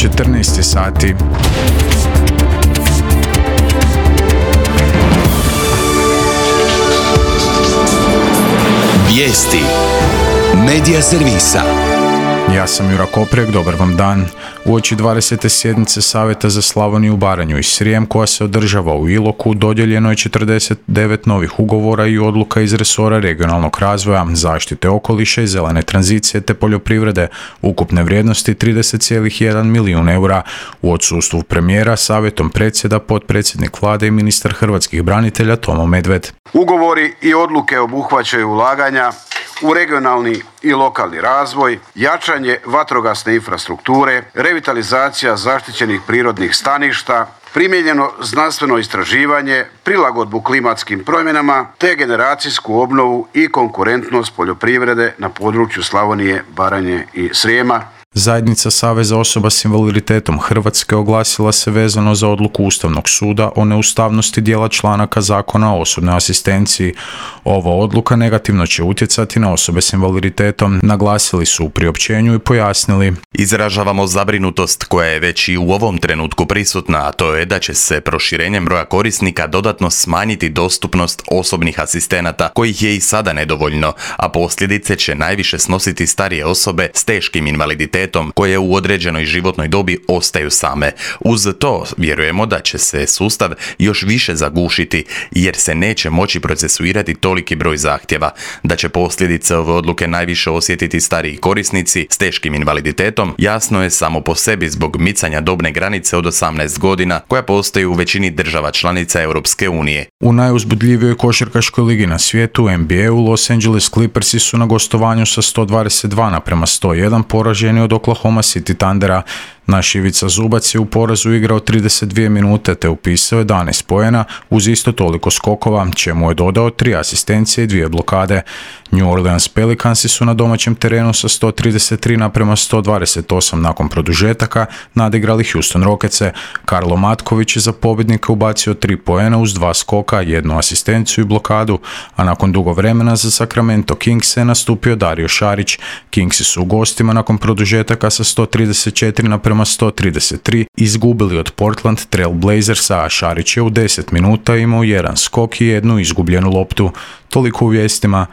14 sati. Vijesti Medija servisa. Ja sam Jura Koprek, dobar vam dan. Uoči 20. sjednice Savjeta za Slavoniju, Baranju i Srijem koja se održava u Iloku, dodijeljeno je 49 novih ugovora i odluka iz resora regionalnog razvoja, zaštite okoliša i zelene tranzicije te poljoprivrede, ukupne vrijednosti 30,1 milijun eura. U odsustvu premijera savjetom predsjeda potpredsjednik vlade i ministar hrvatskih branitelja Tomo Medved. Ugovori i odluke obuhvaćaju ulaganja u regionalni i lokalni razvoj, jačanje vatrogasne infrastrukture, revitalizacija zaštićenih prirodnih staništa, primijenjeno znanstveno istraživanje, prilagodbu klimatskim promjenama te generacijsku obnovu i konkurentnost poljoprivrede na području Slavonije, Baranje i Srijema. Zajednica Saveza osoba s invaliditetom Hrvatske oglasila se vezano za odluku Ustavnog suda o neustavnosti dijela članaka Zakona o osobnoj asistenciji. Ova odluka negativno će utjecati na osobe s invaliditetom, naglasili su u priopćenju i pojasnili. Izražavamo zabrinutost koja je već i u ovom trenutku prisutna, a to je da će se proširenjem broja korisnika dodatno smanjiti dostupnost osobnih asistenata, kojih je i sada nedovoljno, a posljedice će najviše snositi starije osobe s teškim invaliditetom koje u određenoj životnoj dobi ostaju same. Uz to vjerujemo da će se sustav još više zagušiti jer se neće moći procesuirati toliki broj zahtjeva, da će posljedice ove odluke najviše osjetiti stariji korisnici s teškim invaliditetom, jasno je samo po sebi zbog micanja dobne granice od 18 godina koja postoji u većini država članica Europske unije. U najuzbudljivijoj košarkaškoj ligi na svijetu, NBA-u, Los Angeles Clippersi su na gostovanju sa 122:101 poraženi od Oklahoma City Thundera. Naš Ivica Zubac je u porazu igrao 32 minute te upisao 11 poena uz isto toliko skokova, čemu je dodao 3 asistencije i 2 blokade. New Orleans Pelicansi su na domaćem terenu sa 133:128 nakon produžetaka nadigrali Houston Rocketse. Karlo Matković je za pobjednika ubacio 3 poena uz 2 skoka, 1 asistenciju i blokadu, a nakon dugo vremena za Sacramento Kings je nastupio Dario Šarić. Kingsi su u gostima nakon produžetaka sa 134:133 izgubili od Portland Trail Blazersa, a Šarić je u 10 minuta imao 1 skok i 1 izgubljenu loptu. Toliko u vijestima.